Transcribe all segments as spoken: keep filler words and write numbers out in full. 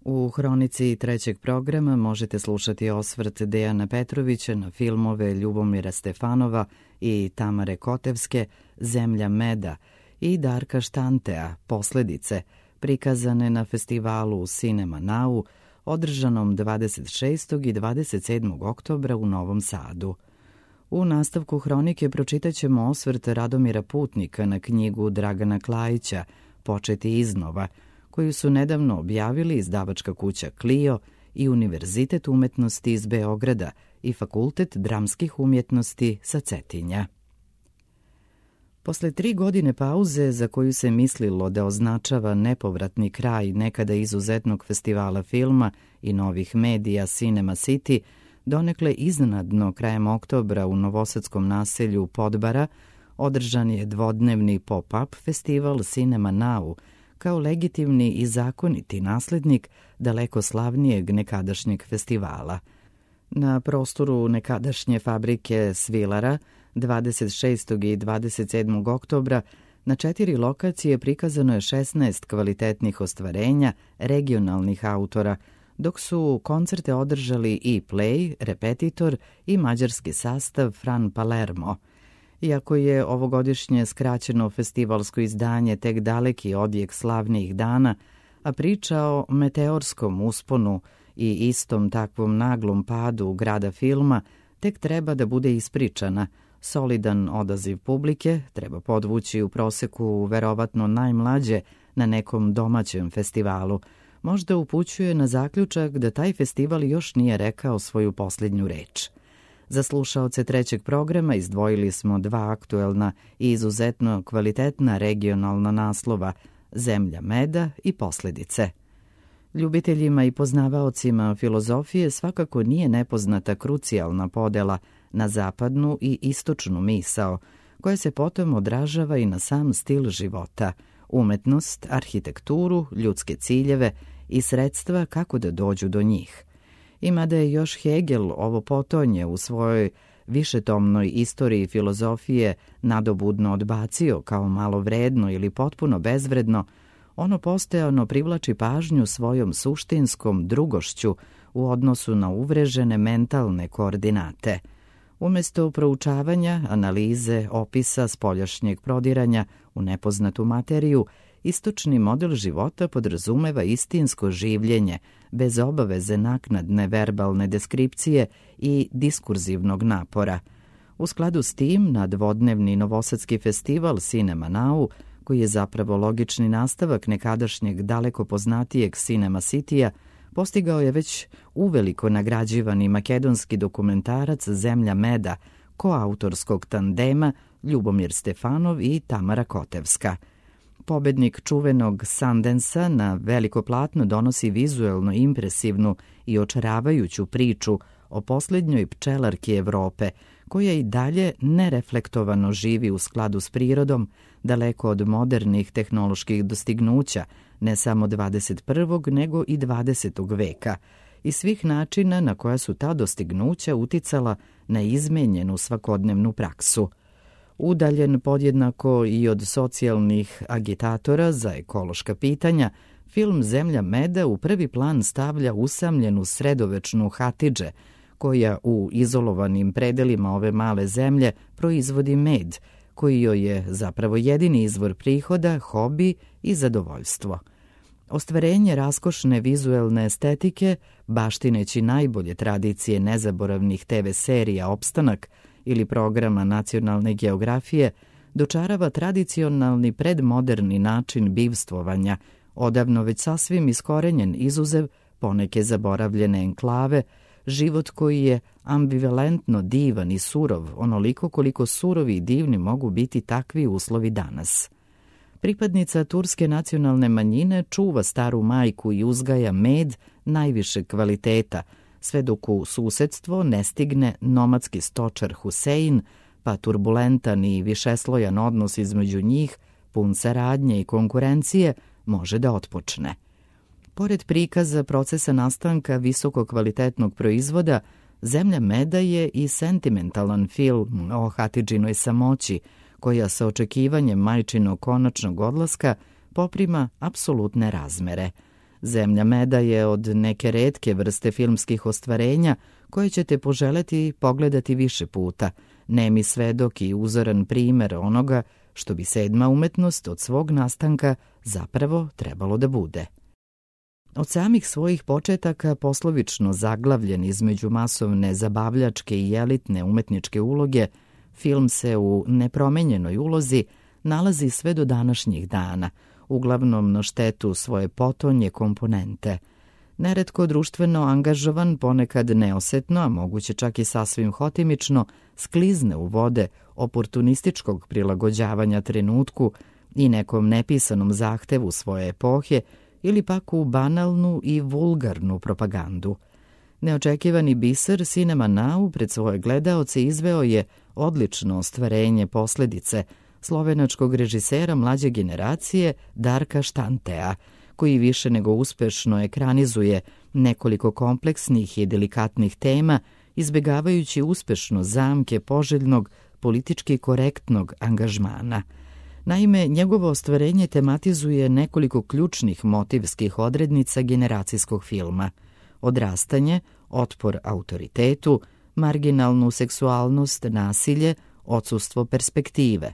U hronici trećeg programa možete slušati osvrt Dejana Petrovića na filmove Ljubomira Stefanova i Tamare Kotevske Zemlja meda i Darka Štantea Posledice, prikazane na festivalu Cinema Now, održanom dvadeset šestog i dvadeset sedmog oktobra u Novom Sadu. U nastavku hronike pročitat ćemo osvrt Radomira Putnika na knjigu Dragana Klajića Početi iznova, koju su nedavno objavili izdavačka kuća Clio i Univerzitet umetnosti iz Beograda i Fakultet dramskih umjetnosti sa Cetinja. Posle tri godine pauze, za koju se mislilo da označava nepovratni kraj nekada izuzetnog festivala filma i novih medija Cinema City, donekle iznenadno krajem oktobra u novosadskom naselju Podbara održan je dvodnevni pop-up festival Cinema Now, kao legitimni i zakoniti naslednik daleko slavnijeg nekadašnjeg festivala. Na prostoru nekadašnje fabrike Svilara dvadeset šestog i dvadeset sedmog oktobra na četiri lokacije prikazano je šesnaest kvalitetnih ostvarenja regionalnih autora, dok su koncerte održali i Play, Repetitor i mađarski sastav Fran Palermo. Iako je ovogodišnje skraćeno festivalsko izdanje tek daleki odjek slavnijih dana, a priča o meteorskom usponu i istom takvom naglom padu grada filma tek treba da bude ispričana, solidan odaziv publike, treba podvući u proseku verovatno najmlađe na nekom domaćem festivalu, možda upućuje na zaključak da taj festival još nije rekao svoju posljednju reč. Za slušaoce trećeg programa izdvojili smo dva aktuelna i izuzetno kvalitetna regionalna naslova Zemlja meda i Posledice. Ljubiteljima i poznavaocima filozofije svakako nije nepoznata krucijalna podela na zapadnu i istočnu misao, koja se potom odražava i na sam stil života, umetnost, arhitekturu, ljudske ciljeve i sredstva kako da dođu do njih. I mada je još Hegel ovo potonje u svojoj višetomnoj istoriji filozofije nadobudno odbacio kao malo vredno ili potpuno bezvredno, ono postojano privlači pažnju svojom suštinskom drugošću u odnosu na uvrežene mentalne koordinate. Umesto proučavanja, analize, opisa spoljašnjeg prodiranja u nepoznatu materiju, istočni model života podrazumeva istinsko življenje, bez obaveze naknadne verbalne deskripcije i diskurzivnog napora. U skladu s tim, na dvodnevni novosadski festival Cinema Now, koji je zapravo logični nastavak nekadašnjeg daleko poznatijeg Cinema City-a, postigao je već uveliko nagrađivani makedonski dokumentarac Zemlja meda, koautorskog tandema Ljubomir Stefanov i Tamara Kotevska. Pobednik čuvenog Sundansa na veliko platno donosi vizuelno impresivnu i očaravajuću priču o posljednjoj pčelarki Evrope, koja i dalje nereflektovano živi u skladu s prirodom, daleko od modernih tehnoloških dostignuća, ne samo dvadeset prvog nego i dvadesetog veka, i svih načina na koja su ta dostignuća uticala na izmenjenu svakodnevnu praksu. Udaljen podjednako i od socijalnih agitatora za ekološka pitanja, film Zemlja meda u prvi plan stavlja usamljenu sredovečnu Hatidže, koja u izolovanim predelima ove male zemlje proizvodi med, koji joj je zapravo jedini izvor prihoda, hobi i zadovoljstvo. Ostvarenje raskošne vizuelne estetike, baštineći najbolje tradicije nezaboravnih te ve serija Opstanak ili programa nacionalne geografije, dočarava tradicionalni predmoderni način bivstvovanja, odavno već sasvim iskorenjen izuzev poneke zaboravljene enklave, život koji je ambivalentno divan i surov, onoliko koliko surovi i divni mogu biti takvi uslovi danas. Pripadnica turske nacionalne manjine čuva staru majku i uzgaja med najvišeg kvaliteta, sve dok u susedstvo ne stigne nomadski stočar Husein, pa turbulentan i višeslojan odnos između njih, pun saradnje i konkurencije, može da otpočne. Pored prikaza procesa nastanka visoko kvalitetnog proizvoda, Zemlja meda je i sentimentalan film o Hatidžinoj samoći, koja sa očekivanjem majčinog konačnog odlaska poprima apsolutne razmere. Zemlja meda je od neke retke vrste filmskih ostvarenja koje ćete poželeti pogledati više puta, nemi svedok i uzoran primer onoga što bi sedma umetnost od svog nastanka zapravo trebalo da bude. Od samih svojih početaka poslovično zaglavljen između masovne zabavljačke i elitne umetničke uloge, film se u nepromenjenoj ulozi nalazi sve do današnjih dana, uglavnom na štetu svoje potonje komponente. Neretko društveno angažovan, ponekad neosetno, a moguće čak i sasvim hotimično, sklizne u vode oportunističkog prilagođavanja trenutku i nekom nepisanom zahtevu svoje epohe ili pak u banalnu i vulgarnu propagandu. Neočekivani biser Cinema Now pred svoje gledaoce izveo je odlično ostvarenje posledice slovenačkog režisera mlađe generacije Darka Štantea, koji više nego uspešno ekranizuje nekoliko kompleksnih i delikatnih tema, izbegavajući uspešno zamke poželjnog, politički korektnog angažmana. Naime, njegovo ostvarenje tematizuje nekoliko ključnih motivskih odrednica generacijskog filma: odrastanje, otpor autoritetu, marginalnu seksualnost, nasilje, odsustvo perspektive.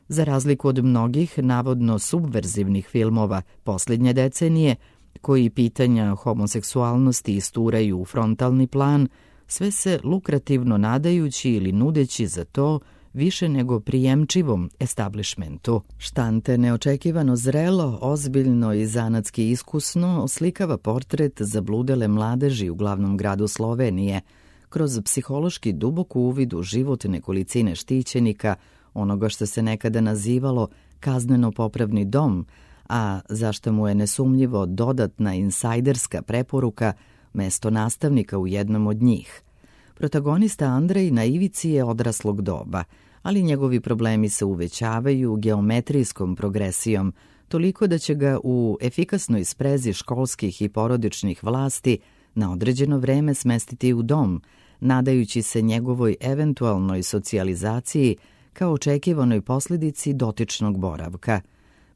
Za razliku od mnogih navodno subverzivnih filmova posljednje decenije, koji pitanja homoseksualnosti isturaju u frontalni plan, sve se lukrativno nadajući ili nudeći za to više nego prijemčivom establishmentu. Štante neočekivano zrelo, ozbiljno i zanatski iskusno oslikava portret zabludele mladeži u glavnom gradu Slovenije, kroz psihološki dubok uvid u život nekolicine štićenika, onoga što se nekada nazivalo kazneno-popravni dom, a zašto mu je nesumnjivo dodatna insajderska preporuka mesto nastavnika u jednom od njih. Protagonista Andrej na ivici je odraslog doba, ali njegovi problemi se uvećavaju geometrijskom progresijom, toliko da će ga u efikasnoj sprezi školskih i porodičnih vlasti na određeno vreme smestiti u dom, nadajući se njegovoj eventualnoj socijalizaciji kao očekivanoj posljedici dotičnog boravka.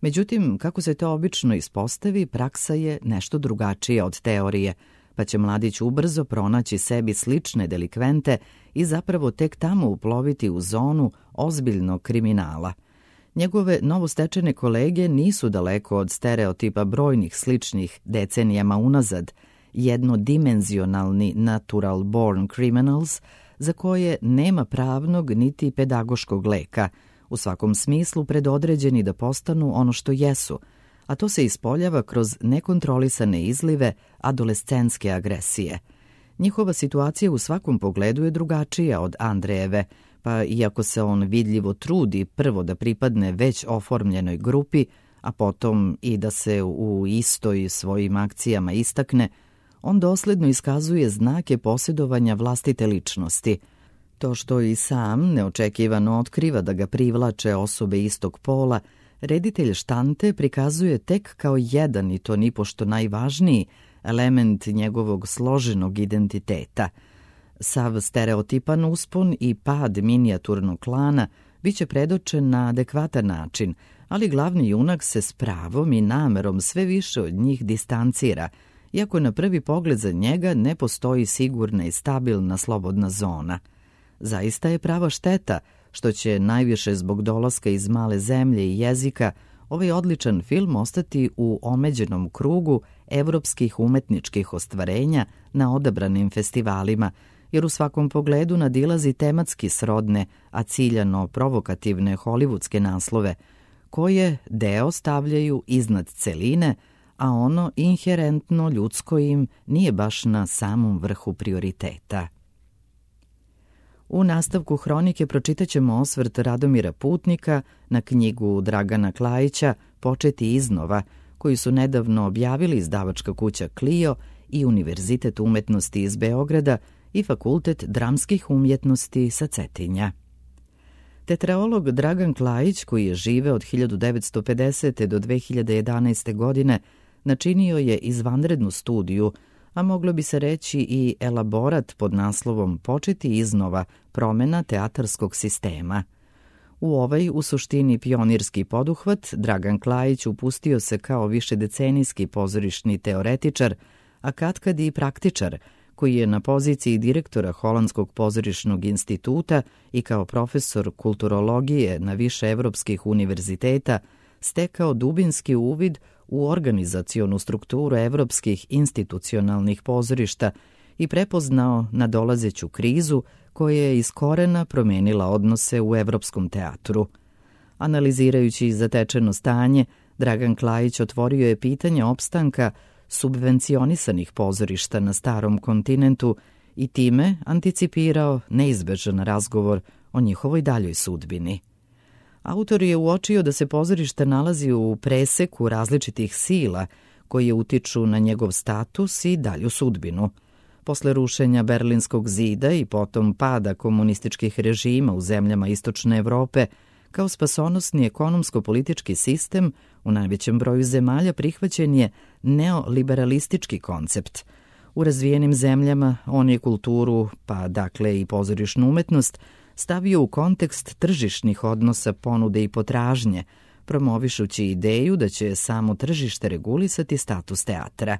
Međutim, kako se to obično ispostavi, praksa je nešto drugačija od teorije, pa će mladić ubrzo pronaći sebi slične delikvente i zapravo tek tamo uploviti u zonu ozbiljnog kriminala. Njegove novostečene kolege nisu daleko od stereotipa brojnih sličnih decenijama unazad, jednodimenzionalni natural born criminals, za koje nema pravnog niti pedagoškog leka, u svakom smislu predodređeni da postanu ono što jesu, a to se ispoljava kroz nekontrolisane izlive adolescentske agresije. Njihova situacija u svakom pogledu je drugačija od Andrejeve, pa iako se on vidljivo trudi prvo da pripadne već oformljenoj grupi, a potom i da se u istoj svojim akcijama istakne, on dosledno iskazuje znake posjedovanja vlastite ličnosti. To što i sam neočekivano otkriva da ga privlače osobe istog pola, reditelj Štante prikazuje tek kao jedan, i to nipošto najvažniji, element njegovog složenog identiteta. Sav stereotipan uspon i pad minijaturnog klana biće predočen na adekvatan način, ali glavni junak se s pravom i namerom sve više od njih distancira, iako na prvi pogled za njega ne postoji sigurna i stabilna slobodna zona. Zaista je prava šteta što će najviše zbog dolaska iz male zemlje i jezika ovaj odličan film ostati u omeđenom krugu evropskih umetničkih ostvarenja na odabranim festivalima, jer u svakom pogledu nadilazi tematski srodne, a ciljano provokativne hollywoodske naslove, koje deo stavljaju iznad celine, a ono inherentno ljudsko im nije baš na samom vrhu prioriteta. U nastavku hronike pročitaćemo osvrt Radomira Putnika na knjigu Dragana Klajića Početi iznova, koju su nedavno objavili izdavačka kuća Clio i Univerzitet umetnosti iz Beograda i Fakultet dramskih umjetnosti sa Cetinja. Tetraolog Dragan Klajić, koji je živeo od hiljadu devetsto pedesete. do dve hiljade jedanaeste. godine, načinio je izvanrednu studiju, a moglo bi se reći i elaborat pod naslovom Početi iznova, promjena teatarskog sistema. U ovaj, u suštini pionirski poduhvat, Dragan Klajić upustio se kao višedecenijski pozorišni teoretičar, a katkad i praktičar, koji je na poziciji direktora Holandskog pozorišnog instituta i kao profesor kulturologije na više evropskih univerziteta stekao dubinski uvid u organizacionu strukturu evropskih institucionalnih pozorišta i prepoznao nadolazeću krizu koja je iz korena promenila odnose u evropskom teatru. Analizirajući zatečeno stanje, Dragan Klajić otvorio je pitanje opstanka subvencionisanih pozorišta na starom kontinentu i time anticipirao neizbežan razgovor o njihovoj daljoj sudbini. Autor je uočio da se pozorište nalazi u preseku različitih sila koje utiču na njegov status i dalju sudbinu. Posle rušenja Berlinskog zida i potom pada komunističkih režima u zemljama Istočne Evrope, kao spasonosni ekonomsko-politički sistem u najvećem broju zemalja prihvaćen je neoliberalistički koncept. U razvijenim zemljama on je kulturu, pa dakle i pozorišnu umetnost, stavio u kontekst tržišnih odnosa ponude i potražnje, promovišući ideju da će samo tržište regulisati status teatra.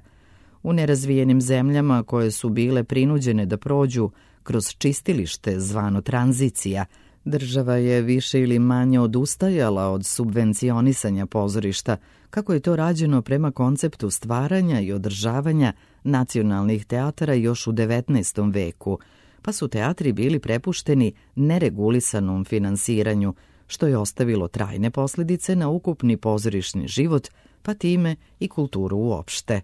U nerazvijenim zemljama koje su bile prinuđene da prođu kroz čistilište zvano tranzicija, država je više ili manje odustajala od subvencionisanja pozorišta, kako je to rađeno prema konceptu stvaranja i održavanja nacionalnih teatara još u devetnaestom veku, pa su teatri bili prepušteni neregulisanom finansiranju, što je ostavilo trajne posljedice na ukupni pozorišni život, pa time i kulturu uopšte.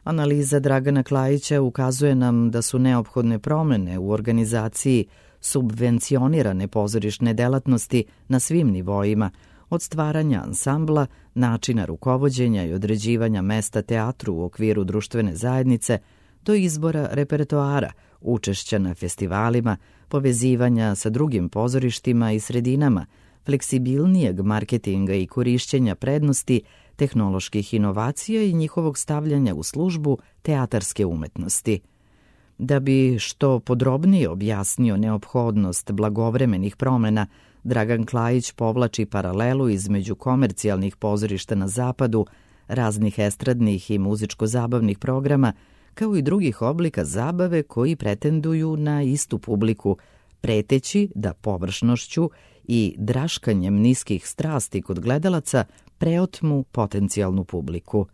Analiza Dragana Klajića ukazuje nam da su neophodne promene u organizaciji subvencionirane pozorišne delatnosti na svim nivoima, od stvaranja ansambla, načina rukovođenja i određivanja mesta teatru u okviru društvene zajednice, do izbora repertoara, učešća na festivalima, povezivanja sa drugim pozorištima i sredinama, fleksibilnijeg marketinga i korišćenja prednosti, tehnoloških inovacija i njihovog stavljanja u službu teatarske umetnosti. Da bi što podrobnije objasnio neophodnost blagovremenih promena, Dragan Klajić povlači paralelu između komercijalnih pozorišta na zapadu, raznih estradnih i muzičko-zabavnih programa, kao i drugih oblika zabave koji pretenduju na istu publiku, preteći da površnošću i draškanjem niskih strasti kod gledalaca preotmu potencijalnu publiku.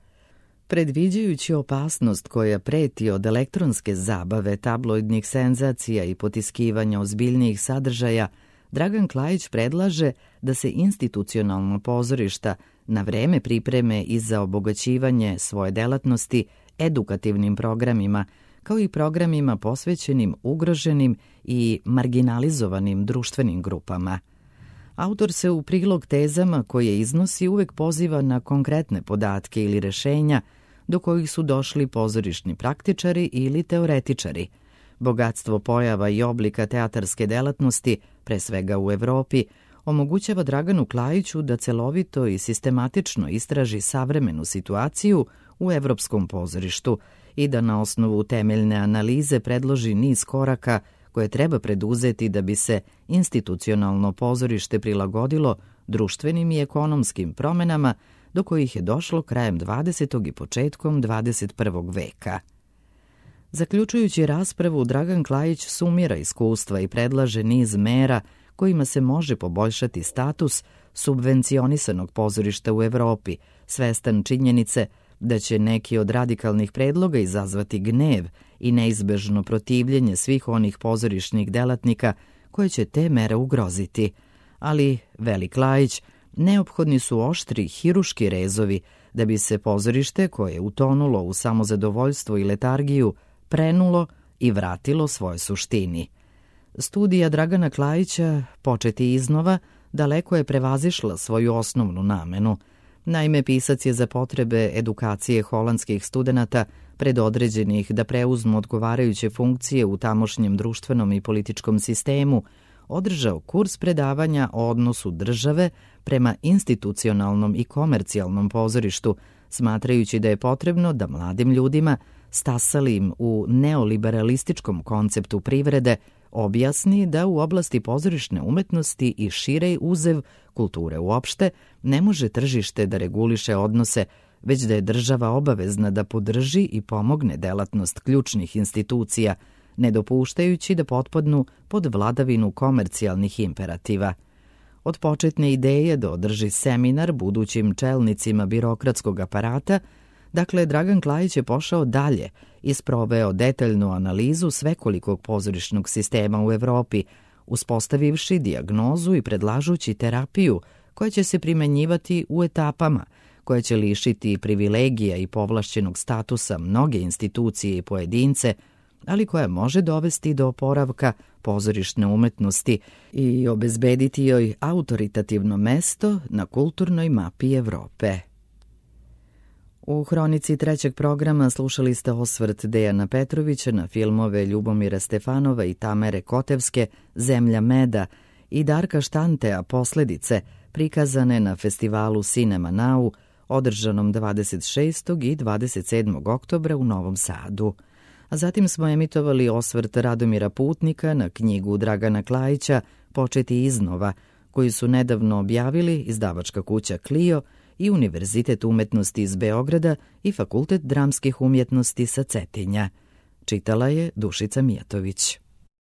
Predviđajući opasnost koja preti od elektronske zabave, tabloidnih senzacija i potiskivanja ozbiljnijih sadržaja, Dragan Klajić predlaže da se institucionalna pozorišta na vreme pripreme i za obogaćivanje svoje delatnosti edukativnim programima, kao i programima posvećenim ugroženim i marginalizovanim društvenim grupama. Autor se u prilog tezama koje iznosi uvek poziva na konkretne podatke ili rešenja do kojih su došli pozorišni praktičari ili teoretičari. Bogatstvo pojava i oblika teatarske delatnosti, pre svega u Evropi, omogućava Draganu Klajiću da celovito i sistematično istraži savremenu situaciju u evropskom pozorištu i da na osnovu temeljne analize predloži niz koraka koje treba preduzeti da bi se institucionalno pozorište prilagodilo društvenim i ekonomskim promenama do kojih je došlo krajem dvadesetog i početkom dvadeset prvog veka. Zaključujući raspravu, Dragan Klajić sumira iskustva i predlaže niz mera kojima se može poboljšati status subvencionisanog pozorišta u Evropi, svestan činjenice da će neki od radikalnih predloga izazvati gnev i neizbežno protivljenje svih onih pozorišnih delatnika koje će te mere ugroziti. Ali, veli Klajić, neophodni su oštri hiruški rezovi da bi se pozorište koje je utonulo u samozadovoljstvo i letargiju prenulo i vratilo svoje suštini. Studija Dragana Klajića, početi iznova, daleko je prevazišla svoju osnovnu namenu. Naime, pisac je za potrebe edukacije holandskih studenata predodređenih da preuzmu odgovarajuće funkcije u tamošnjem društvenom i političkom sistemu, održao kurs predavanja o odnosu države prema institucionalnom i komercijalnom pozorištu, smatrajući da je potrebno da mladim ljudima stasalim u neoliberalističkom konceptu privrede, objasni da u oblasti pozorišne umetnosti i širej uzev kulture uopšte ne može tržište da reguliše odnose, već da je država obavezna da podrži i pomogne delatnost ključnih institucija, ne dopuštajući da potpadnu pod vladavinu komercijalnih imperativa. Od početne ideje da održi seminar budućim čelnicima birokratskog aparata, dakle, Dragan Klajić je pošao dalje i sproveo detaljnu analizu svekolikog pozorišnog sistema u Evropi, uspostavivši dijagnozu i predlažući terapiju koja će se primenjivati u etapama, koja će lišiti privilegija i povlašćenog statusa mnoge institucije i pojedince, ali koja može dovesti do oporavka pozorišne umetnosti i obezbediti joj autoritativno mesto na kulturnoj mapi Evrope. U hronici trećeg programa slušali ste osvrt Dejana Petrovića na filmove Ljubomira Stefanova i Tamare Kotevske Zemlja meda i Darka Štantea Posledice, prikazane na festivalu Cinema Now, održanom dvadeset šestog i dvadeset sedmog oktobra u Novom Sadu. A zatim smo emitovali osvrt Radomira Putnika na knjigu Dragana Klajića Početi iznova, koju su nedavno objavili izdavačka kuća Clio i Univerzitet umetnosti iz Beograda i Fakultet dramskih umjetnosti sa Cetinja. Čitala je Dušica Mijatović.